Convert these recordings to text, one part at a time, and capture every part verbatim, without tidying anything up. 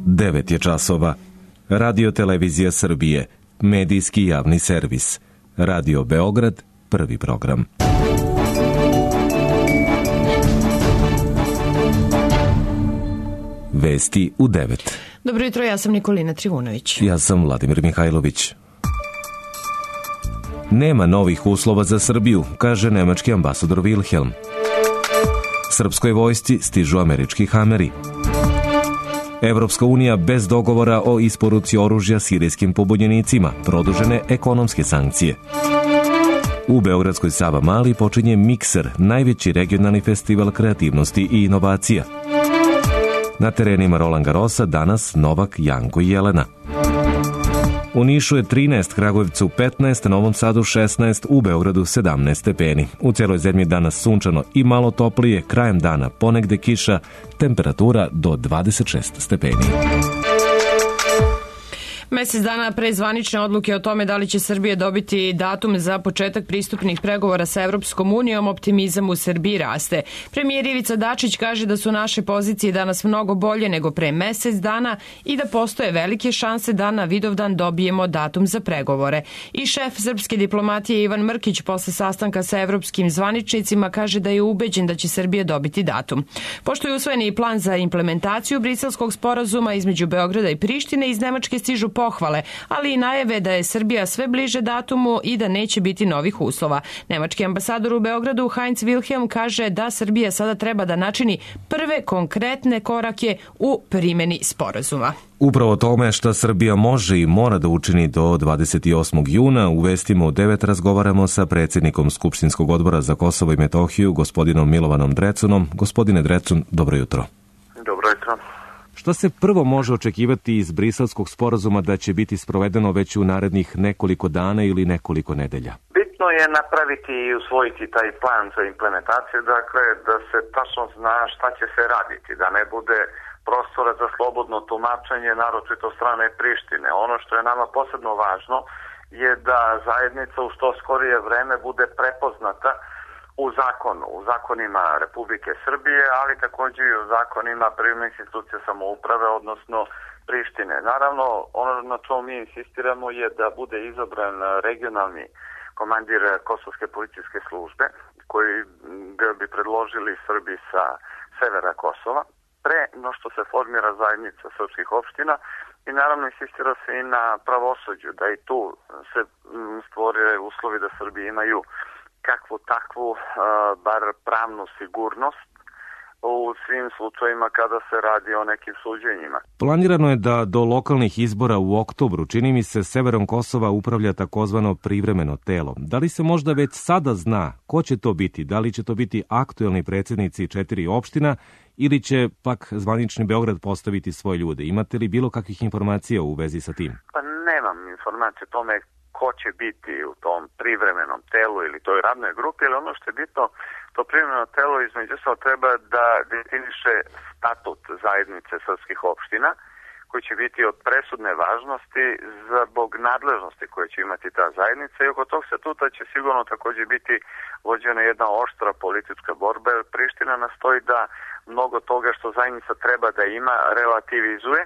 devet je časova. Radio Televizija Srbije, medijski javni servis. Radio Beograd, prvi program. Vesti u devet. Dobro jutro, ja sam Nikolina Trivunović. Ja sam Vladimir Mihajlović. Nema novih uslova za Srbiju, kaže nemački ambasador Wilhelm. Srpskoj vojsci stižu američki hameri. Evropska unija bez dogovora o isporuci oružja sirijskim pobunjenicima, produžene ekonomske sankcije. U beogradskoj Savamali počinje Mikser, najveći regionalni festival kreativnosti i inovacija. Na terenima Roland Garrosa danas Novak, Janko i Jelena. U Nišu je trinaest, Kragujevcu petnaest, Novom Sadu šesnaest, u Beogradu sedamnaest stepeni. U cijeloj zemlji danas sunčano i malo toplije, krajem dana ponegde kiša, temperatura do dvadeset šest stepeni. Mesec dana pre zvanične odluke o tome da li će Srbija dobiti datum za početak pristupnih pregovora sa Evropskom unijom, optimizam u Srbiji raste. Premijer Ivica Dačić kaže da su naše pozicije danas mnogo bolje nego pre mesec dana i da postoje velike šanse da na Vidovdan dobijemo datum za pregovore. I šef srpske diplomatije Ivan Mrkić posle sastanka sa evropskim zvaničnicima kaže da je ubeđen da će Srbija dobiti datum. Pošto je usvojen i plan za implementaciju Briselskog sporazuma između Beograda i Prištine, iz Nemačke stižu pohvale, ali i najave da je Srbija sve bliže datumu i da neće biti novih uslova. Nemački ambasador u Beogradu Heinz Wilhelm kaže da Srbija sada treba da načini prve konkretne korake u primjeni sporazuma. Upravo tome šta Srbija može i mora da učini do dvadeset osmog juna, u vestima u devet razgovaramo sa predsjednikom Skupštinskog odbora za Kosovo i Metohiju, gospodinom Milovanom Drecunom. Gospodine Drecun, dobro jutro. Dobro jutro. Šta se prvo može očekivati iz Briselskog sporazuma da će biti sprovedeno već u narednih nekoliko dana ili nekoliko nedelja? Bitno je napraviti i usvojiti taj plan za implementaciju, dakle da se tačno zna šta će se raditi, da ne bude prostora za slobodno tumačenje, naročito strane Prištine. Ono što je nama posebno važno je da zajednica u što skorije vreme bude prepoznata u zakonu, u zakonima Republike Srbije, ali također i u zakonima privremenih institucija samouprave, odnosno Prištine. Naravno, ono na čemu mi insistiramo je da bude izabran regionalni komandir Kosovske policijske službe, koji bi predložili Srbi sa severa Kosova, pre no što se formira zajednica srpskih opština, i naravno insistira se i na pravosuđu, da i tu se stvore uslovi da Srbi imaju kakvu takvu, uh, bar pravnu sigurnost u svim slučajima kada se radi o nekim suđenjima. Planirano je da do lokalnih izbora u oktobru, čini mi se, severom Kosova upravlja takozvano privremeno telo. Da li se možda već sada zna ko će to biti? Da li će to biti aktuelni predsjednici četiri opština ili će pak zvanični Beograd postaviti svoje ljude? Imate li bilo kakvih informacija u vezi sa tim? Pa nemam informacije o tome ko će biti u tom privremenom telu ili toj radnoj grupi, ali ono što je bitno, to privremeno telo između ostalog treba da definiše statut zajednice srpskih opština, koji će biti od presudne važnosti zbog nadležnosti koje će imati ta zajednica, i oko tog statuta će sigurno također biti vođena jedna oštra politička borba, jer Priština nastoji da mnogo toga što zajednica treba da ima relativizuje,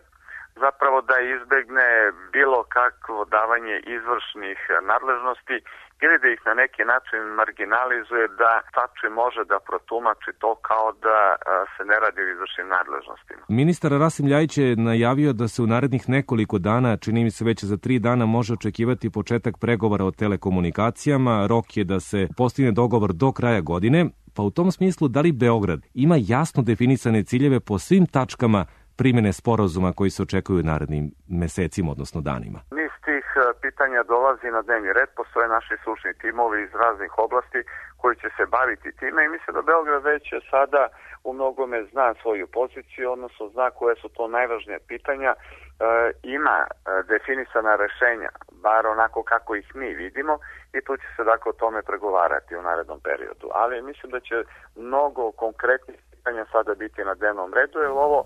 zapravo da izbegne bilo kakvo davanje izvršnih nadležnosti ili da ih na neki način marginalizuje, da tači može da protumači to kao da se ne radi o izvršnim nadležnostima. Ministar Rasim Ljajić je najavio da se u narednih nekoliko dana, čini mi se već za tri dana, može očekivati početak pregovora o telekomunikacijama. Rok je da se postigne dogovor do kraja godine, pa u tom smislu da li Beograd ima jasno definisane ciljeve po svim tačkama primjene sporazuma koji se očekuju u narednim mesecima, odnosno danima? Niz tih pitanja dolazi na dnevni red, postoje naši stručni timovi iz raznih oblasti koji će se baviti time, i mislim da Beograd već sada u mnogome zna svoju poziciju, odnosno zna koje su to najvažnije pitanja, e, ima definisana rešenja, bar onako kako ih mi vidimo, i tu će se dakle o tome pregovarati u narednom periodu. Ali mislim da će mnogo konkretnih pitanja sada biti na dnevnom redu, jer ovo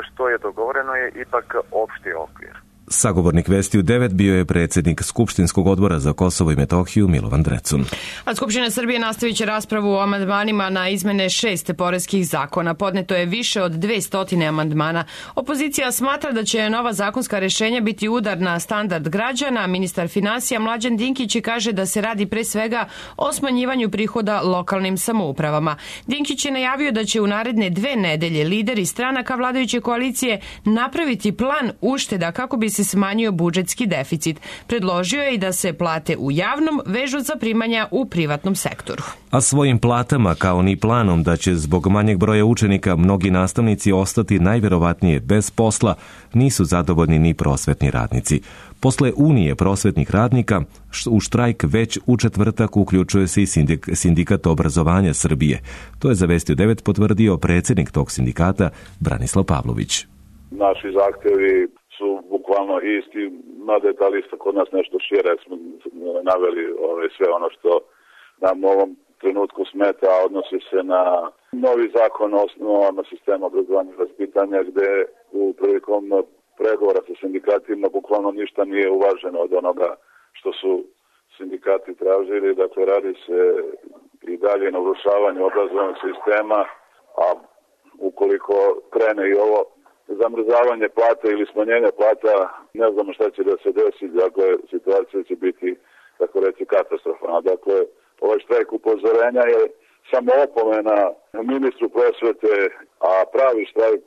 što je dogovoreno je ipak opšti okvir. Sagovornik Vesti u devet bio je predsjednik Skupštinskog odbora za Kosovo i Metohiju Milovan Drecun. A Skupština Srbije nastavit će raspravu o amandmanima na izmene šest poreskih zakona. Podneto je više od dvesta amandmana. Opozicija smatra da će nova zakonska rešenja biti udar na standard građana. Ministar finansija Mlađan Dinkić kaže da se radi pre svega o smanjivanju prihoda lokalnim samoupravama. Dinkić je najavio da će u naredne dve nedelje lideri stranaka vladajuće koalicije napraviti plan ušteda kako bi se smanjio budžetski deficit. Predložio je i da se plate u javnom vežu za primanja u privatnom sektoru. A svojim platama, kao ni planom da će zbog manjeg broja učenika mnogi nastavnici ostati najverovatnije bez posla, nisu zadovoljni ni prosvetni radnici. Posle Unije prosvetnih radnika, u štrajk već u četvrtak uključuje se i sindik, sindikat obrazovanja Srbije. To je za Vesti u devet potvrdio predsjednik tog sindikata Branislav Pavlović. Naši zahtjevi su bukvalno isti, mada je ta lista kod nas nešto šire, smo naveli ove, sve ono što nam u ovom trenutku smeta, a odnosi se na novi zakon o osnovama sistema obrazovanja i vaspitanja, gde u prilikom pregovora sa sindikatima bukvalno ništa nije uvaženo od onoga što su sindikati tražili. Dakle, radi se i dalje na urušavanju obrazovnog sistema, a ukoliko krene i ovo zamrzavanje plata ili smanjenje plata, ne znamo šta će da se desi, dakle, situacija će biti, tako reći, katastrofalna. Dakle, ovaj štrajk upozorenja je samo opomena ministru prosvete, a pravi štrajk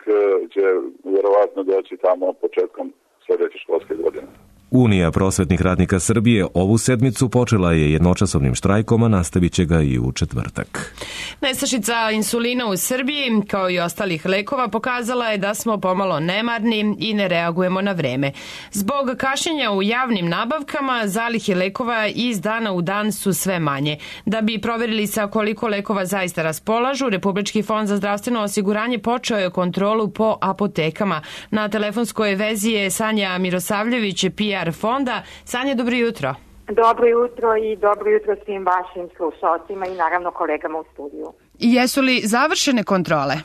će vjerovatno doći tamo početkom sljedeće školske godine. Unija prosvetnih radnika Srbije ovu sedmicu počela je jednočasovnim štrajkom, a nastavit će ga i u četvrtak. Nestašica insulina u Srbiji, kao i ostalih lekova, pokazala je da smo pomalo nemarni i ne reagujemo na vreme. Zbog kašnjenja u javnim nabavkama, zalihe lekova iz dana u dan su sve manje. Da bi proverili sa koliko lekova zaista raspolažu, Republički fond za zdravstveno osiguranje počeo je kontrolu po apotekama. Na telefonskoj vezi je Sanja Mirosavljević, P R fonda. Sanja, dobro jutro. Dobro jutro i dobro jutro svim vašim slušalcima i naravno kolegama u studiju. Jesu li završene kontrole?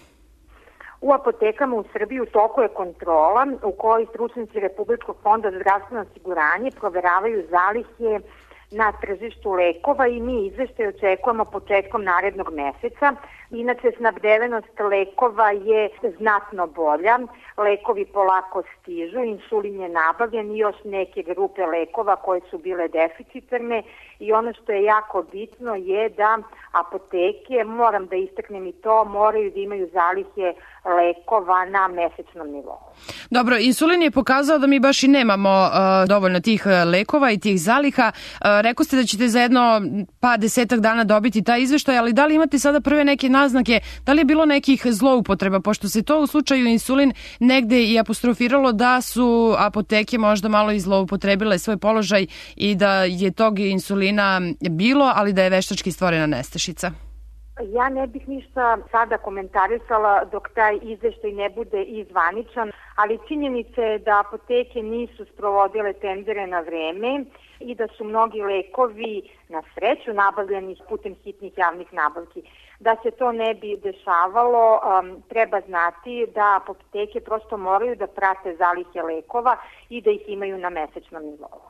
U apotekama u Srbiji u toku je kontrola u kojoj stručnici Republičkog fonda za zdravstveno osiguranje proveravaju zalihe na tržištu lekova i mi izveštaj očekujemo početkom narednog meseca. Inače, snabdevenost lekova je znatno bolja, lekovi polako stižu, insulin je nabavljen i još neke grupe lekova koje su bile deficitarne i ono što je jako bitno je da apoteke, moram da istaknem i to, moraju da imaju zalihe lekova na mesečnom nivou. Dobro, insulin je pokazao da mi baš i nemamo uh, dovoljno tih lekova i tih zaliha. Uh, rekao ste da ćete za jedno pa desetak dana dobiti taj izveštaj, ali da li imate sada prve neke naznake, da li je bilo nekih zloupotreba, pošto se to u slučaju insulin negde i apostrofiralo da su apoteke možda malo i zloupotrebile svoj položaj i da je tog insulina bilo, ali da je veštački stvorena nestašica? Ja ne bih ništa sada komentarisala dok taj izveštaj ne bude izvaničan, ali činjenica je da apoteke nisu sprovodile tendere na vreme i da su mnogi lekovi na sreću nabavljeni putem hitnih javnih nabavki. Da se to ne bi dešavalo, um, treba znati da apoteke prosto moraju da prate zalihe lekova i da ih imaju na mesečnom nivou.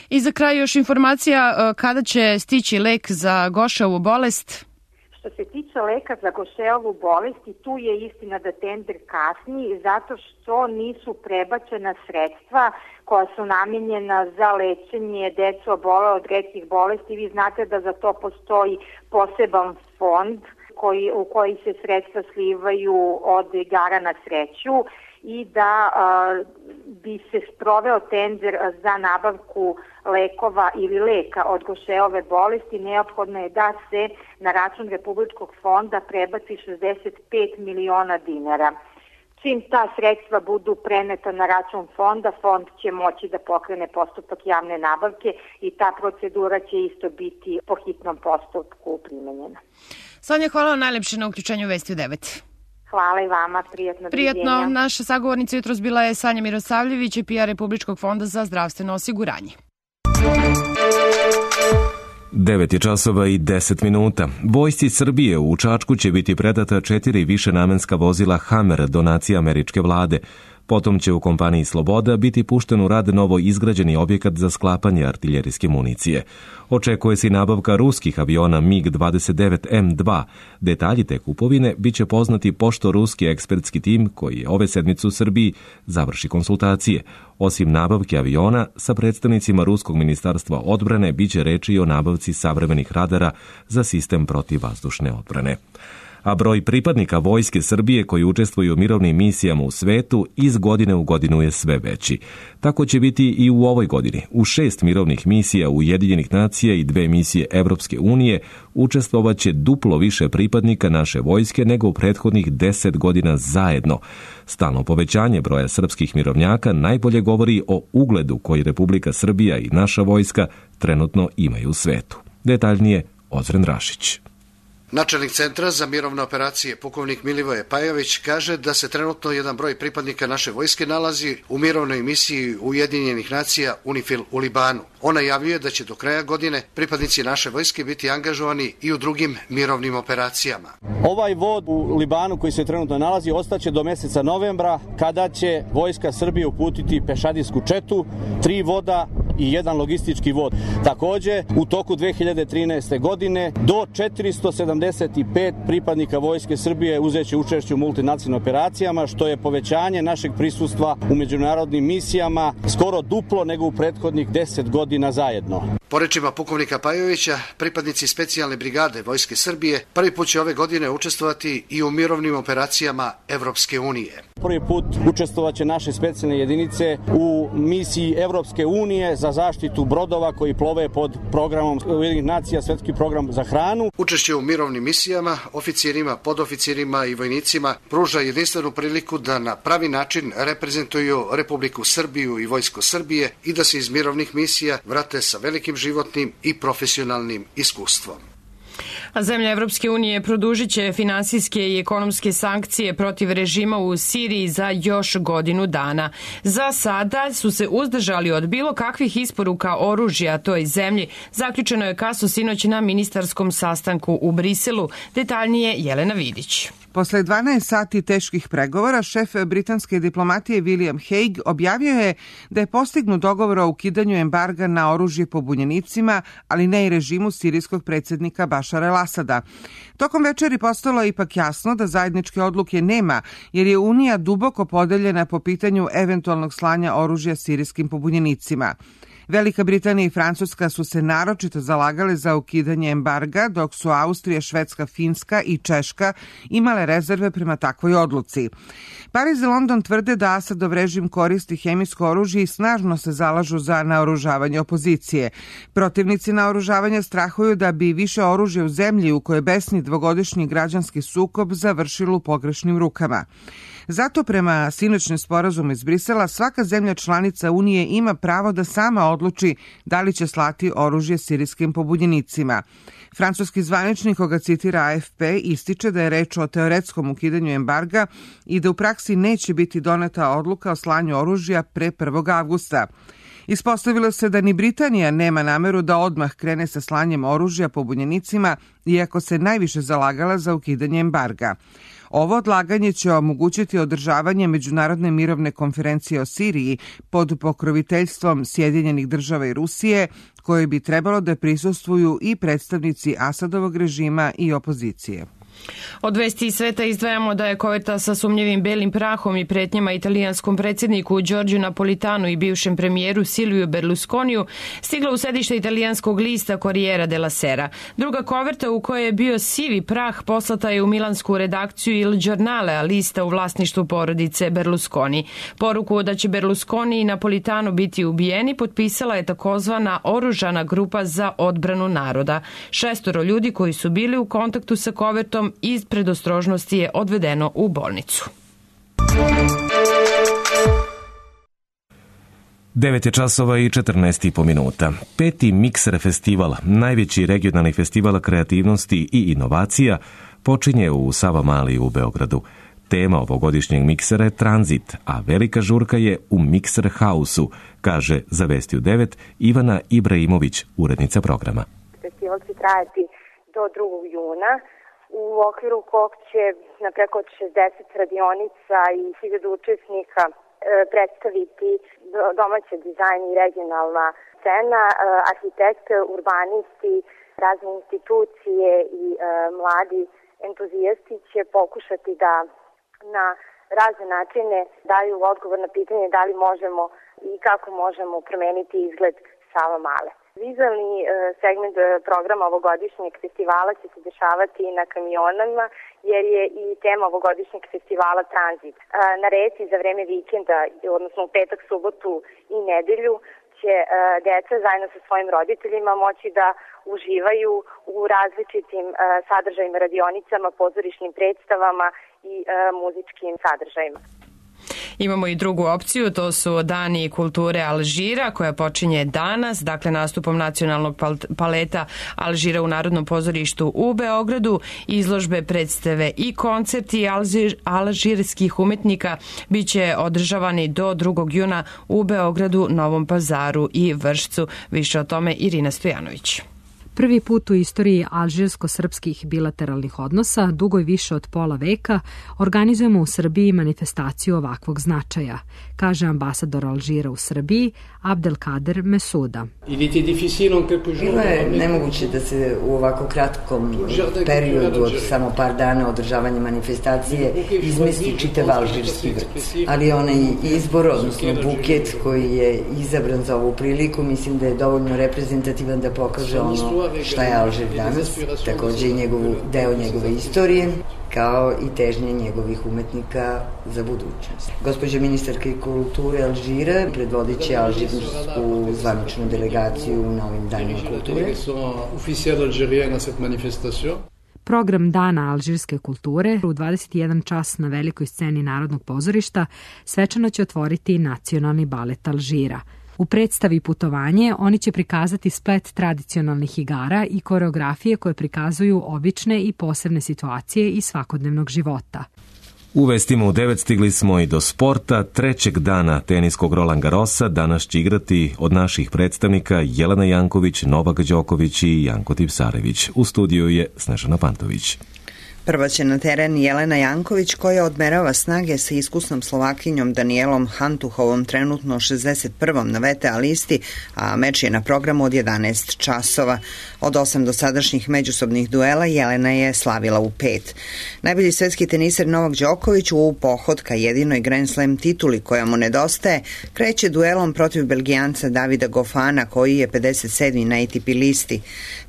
I za kraj još informacija kada će stići lek za Gošeovu bolest? Što se tiče leka za Gošeovu bolest, i tu je istina da tender kasni zato što nisu prebačena sredstva koja su namijenjena za lečenje dece obole od retkih bolesti. Vi znate da za to postoji poseban fond koji, u koji se sredstva slivaju od igara na sreću i da a, bi se sproveo tender za nabavku lekova ili leka od Gošeove bolesti, neophodno je da se na račun Republičkog fonda prebaci šezdeset pet miliona dinara. Čim ta sredstva budu preneta na račun fonda, fond će moći da pokrene postupak javne nabavke i ta procedura će isto biti po hitnom postupku primenjena. Sanja, hvala vam najlepše na uključenju Vesti u devet. Hvala i vama, prijatno. Prijatno, naša sagovornica jutros bila je Sanja Mirosavljević, P R Republičkog fonda za zdravstveno osiguranje. devet je časova i deset minuta. Vojsci Srbije u Čačku će biti predata četiri višenamenska vozila Hammer donacije američke vlade. Potom će u kompaniji Sloboda biti pušten u rad novo izgrađeni objekat za sklapanje artiljerijske municije. Očekuje se i nabavka ruskih aviona mig dvadeset devet M dva. Detalji te kupovine bit će poznati pošto ruski ekspertski tim koji je ove sedmice u Srbiji završi konsultacije. Osim nabavke aviona, sa predstavnicima Ruskog ministarstva odbrane bit će reči i o nabavci savremenih radara za sistem protivvazdušne odbrane. A broj pripadnika Vojske Srbije koji učestvuju u mirovnim misijama u svetu iz godine u godinu je sve veći. Tako će biti i u ovoj godini. U šest mirovnih misija Ujedinjenih nacija i dve misije Evropske unije učestvovaće duplo više pripadnika naše vojske nego u prethodnih deset godina zajedno. Stalno povećanje broja srpskih mirovnjaka najbolje govori o ugledu koji Republika Srbija i naša vojska trenutno imaju u svetu. Detaljnije Ozren Rašić. Načelnik Centra za mirovne operacije, pukovnik Milivoje Pajović, kaže da se trenutno jedan broj pripadnika naše vojske nalazi u mirovnoj misiji Ujedinjenih nacija UNIFIL u Libanu. On najavljuje da će do kraja godine pripadnici naše vojske biti angažovani i u drugim mirovnim operacijama. Ovaj vod u Libanu koji se trenutno nalazi ostaće do meseca novembra, kada će Vojska Srbije uputiti pešadijsku četu, tri voda i jedan logistički vod. Takođe, u toku dve hiljade trinaeste. godine do četiristo sedamdeset pet pripadnika Vojske Srbije uzeće učešće u multinacionalnim operacijama, što je povećanje našeg prisustva u međunarodnim misijama skoro duplo nego u prethodnih deset godina zajedno. Po rečima pukovnika Pajovića, pripadnici specijalne brigade Vojske Srbije prvi put će ove godine učestvovati i u mirovnim operacijama Evropske unije. Prvi put učestvovaće naše specijalne jedinice u misiji Evropske unije za zaštitu brodova koji plove pod programom Ujedinjenih nacija, svetski program za hranu. Učešće u mirovnim misijama oficirima, podoficirima i vojnicima pruža jedinstvenu priliku da na pravi način reprezentuju Republiku Srbiju i Vojsko Srbije i da se iz mirovnih misija vrate sa velikim životnim i profesionalnim iskustvom. A zemlje Evropske unije produžit će finansijske i ekonomske sankcije protiv režima u Siriji za još godinu dana. Za sada su se uzdržali od bilo kakvih isporuka oružja toj zemlji. Zaključeno je kasno sinoć na ministarskom sastanku u Briselu. Detaljnije Jelena Vidić. Posle dvanaest sati teških pregovora, šef britanske diplomatije William Hague objavio je da je postignut dogovor o ukidanju embarga na oružje pobunjenicima, ali ne i režimu sirijskog predsjednika Bašara el-Asada. Tokom večeri postalo je ipak jasno da zajedničke odluke nema, jer je Unija duboko podeljena po pitanju eventualnog slanja oružja sirijskim pobunjenicima. Velika Britanija i Francuska su se naročito zalagale za ukidanje embarga, dok su Austrija, Švedska, Finska i Češka imale rezerve prema takvoj odluci. Pariz i London tvrde da Asadov režim koristi hemijsko oružje i snažno se zalažu za naoružavanje opozicije. Protivnici naoružavanja strahuju da bi više oružja u zemlji u kojoj besni dvogodišnji građanski sukob završilo u pogrešnim rukama. Zato prema sinoćnom sporazumu iz Brisela svaka zemlja članica Unije ima pravo da sama odluči da li će slati oružje sirijskim pobunjenicima. Francuski zvaničnik, koga citira A F P, ističe da je reč o teoretskom ukidanju embarga i da u praksi neće biti doneta odluka o slanju oružja pre prvog avgusta. Ispostavilo se da ni Britanija nema nameru da odmah krene sa slanjem oružja pobunjenicima, iako se najviše zalagala za ukidanje embarga. Ovo odlaganje će omogućiti održavanje Međunarodne mirovne konferencije o Siriji pod pokroviteljstvom Sjedinjenih država i Rusije, koje bi trebalo da prisustvuju i predstavnici Asadovog režima i opozicije. Od vesti iz sveta izdvajamo da je koveta sa sumnjivim belim prahom i pretnjama italijanskom predsjedniku Giorgio Napolitanu i bivšem premijeru Silviju Berlusconiju stigla u sedište italijanskog lista Corriere della Sera. Druga koverta u kojoj je bio sivi prah poslata je u milansku redakciju Il Giornale, a lista u vlasništvu porodice Berlusconi. Poruku da će Berlusconi i Napolitano biti ubijeni potpisala je takozvana oružana grupa za odbranu naroda. Šestoro ljudi koji su bili u kontaktu sa kovertom iz predostrožnosti je odvedeno u bolnicu. devet je časova i četrnaest i po minuta. Peti Mikser festival, najveći regionalni festival kreativnosti i inovacija, počinje u Savamali u Beogradu. Tema ovogodišnjeg miksera je tranzit, a velika žurka je u Mikser House-u, kaže za Vesti u devet Ivana Ibrahimović, urednica programa. Festival će trajati do drugog juna, u okviru kog će na preko šezdeset radionica i hiljadu učesnika predstaviti domaći dizajn i regionalna scena, arhitekte, urbanisti, razne institucije i mladi entuzijasti će pokušati da na razne načine daju odgovor na pitanje da li možemo i kako možemo promeniti izgled Savamale. Vizualni segment programa ovogodišnjeg festivala će se dešavati na kamionama, jer je i tema ovogodišnjeg festivala tranzit. Na reci za vreme vikenda, odnosno u petak, subotu i nedelju, će deca zajedno sa svojim roditeljima moći da uživaju u različitim sadržajima, radionicama, pozorišnim predstavama i muzičkim sadržajima. Imamo i drugu opciju, to su Dani kulture Alžira, koja počinje danas, dakle nastupom nacionalnog paleta Alžira u Narodnom pozorištu u Beogradu. Izložbe, predstave i koncerti alžir, alžirskih umetnika biće održavani do drugog juna u Beogradu, Novom Pazaru i Vršcu. Više o tome Irina Stojanović. Prvi put u istoriji alžirsko-srpskih bilateralnih odnosa, dugo i više od pola veka, organizujemo u Srbiji manifestaciju ovakvog značaja, kaže ambasador Alžira u Srbiji, Abdelkader Mesuda. Bilo je nemoguće da se u ovako kratkom periodu od samo par dana održavanja manifestacije izmesti čitav alžirski vrt. Ali onaj izbor, odnosno buket koji je izabran za ovu priliku, mislim da je dovoljno reprezentativan da pokaže ono šta je Alžir danas, takođe i njegovu, deo njegove istorije, kao i težnje njegovih umetnika za budućnost. Gospođa ministarka kulture Alžira predvodit će alžirsku zvaničnu delegaciju na ovim danima kulture. Program Dana alžirske kulture u dvadeset jedan čas na velikoj sceni Narodnog pozorišta svečano će otvoriti Nacionalni balet Alžira. U predstavi Putovanje oni će prikazati splet tradicionalnih igara i koreografije koje prikazuju obične i posebne situacije iz svakodnevnog života. U vestima u devet stigli smo i do sporta. Trećeg dana teniskog Roland Garrosa danas će igrati od naših predstavnika Jelena Janković, Novak Đoković i Janko Tipsarević. U studiju je Snežana Pantović. Prva će na teren Jelena Janković, koja odmerava snage sa iskusnom Slovakinjom Danielom Hantuhovom, trenutno šezdeset prvom na V T A listi, a meč je na programu od jedanaest časova. Od osam dosadašnjih međusobnih duela Jelena je slavila u pet. Najbolji svetski teniser Novak Đoković u pohod ka jedinoj Grand Slam tituli koja mu nedostaje kreće duelom protiv Belgijanca Davida Gofana, koji je pedeset sedmi na A T P listi.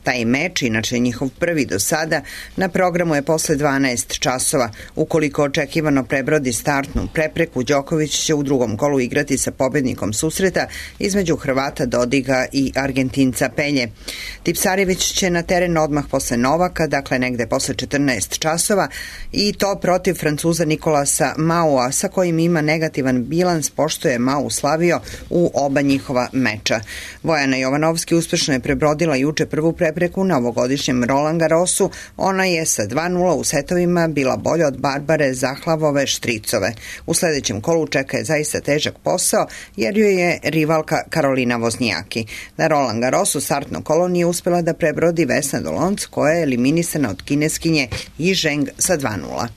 Taj meč, inače njihov prvi do sada, na programu je posle dvanaest časova. Ukoliko očekivano prebrodi startnu prepreku, Đoković će u drugom kolu igrati sa pobednikom susreta između Hrvata Dodiga i Argentinca Pelje. Tipsarević će na teren odmah posle Novaka, dakle negde posle četrnaest časova, i to protiv Francuza Nikolasa Maua, sa kojim ima negativan bilans, pošto je Mau slavio u oba njihova meča. Vojana Jovanovski uspešno je prebrodila juče prvu prepreku na ovogodišnjem Roland Garrosu. Ona je sa dva nula u setovima bila bolja od Barbare Zahlavove Štricove. U sledećem kolu čeka je zaista težak posao, jer joj je rivalka Karolina Voznijaki. Na Roland Garrosu startno kolo nije uspela da prebrodi Vesna Dolonc, koja je eliminisana od kineskinje Yi Zheng sa dva nula.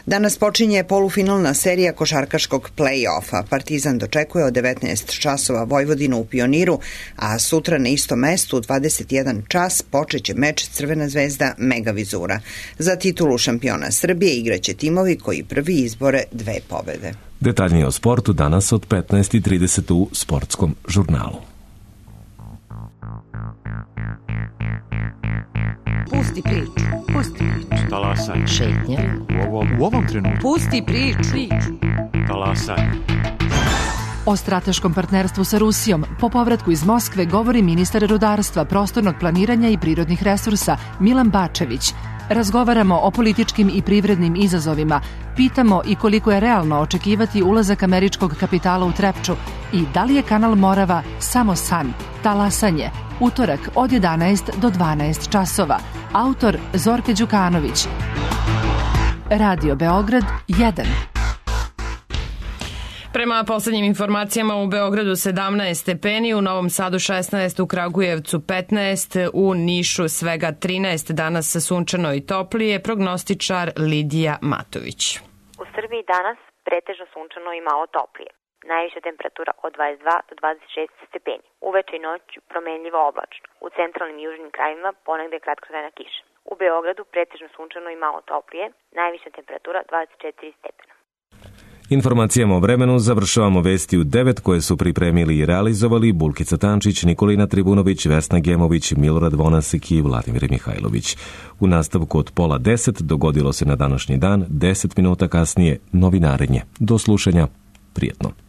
Danas počinje polufinalna serija košarkaškog play-offa. Partizan dočekuje od devetnaest časova Vojvodinu u Pioniru, a sutra na istom mestu u dvadeset jedan čas počeće meč Crvena zvezda Megavizura. Za titulu šampiona Srbije igraće timovi koji prvi izbore dve pobede. Detaljnije o sportu danas od petnaest i trideset u Sportskom žurnalu. Pusti priču, pusti priču. Talasaj. Šetnja. U ovom, u ovom trenutku. Pusti priču. Talasaj. O strateškom partnerstvu sa Rusijom po povratku iz Moskve govori ministar rudarstva, prostornog planiranja i prirodnih resursa Milan Bačević. Razgovaramo o političkim i privrednim izazovima, pitamo i koliko je realno očekivati ulazak američkog kapitala u Trepču i da li je kanal Morava samo san, talasanje. Utorak od jedanaest do dvanaest časova. Autor Zorke Đukanović. Radio Beograd jedan. Prema poslednjim informacijama u Beogradu sedamnaest stepeni, u Novom Sadu šesnaest, u Kragujevcu petnaest, u Nišu svega trinaest, danas sunčano i toplije, prognostičar Lidija Matović. U Srbiji danas pretežno sunčano i malo toplije. najviša temperatura od dvadeset dva do dvadeset šest stepeni. Uveče i noć promenljivo oblačno. U centralnim i južnim krajevima ponegde kratkotrajna kiša. U Beogradu pretežno sunčano i malo toplije, najviša temperatura dvadeset četiri stepena. Informacijama o vremenu završavamo vesti u devet koje su pripremili i realizovali Bulkica Tančić, Nikolina Tribunović, Vesna Gemović, Milorad Vonasek i Vladimir Mihajlović. U nastavku od pola deset dogodilo se na današnji dan, deset minuta kasnije novinarenje. Do slušanja, prijetno.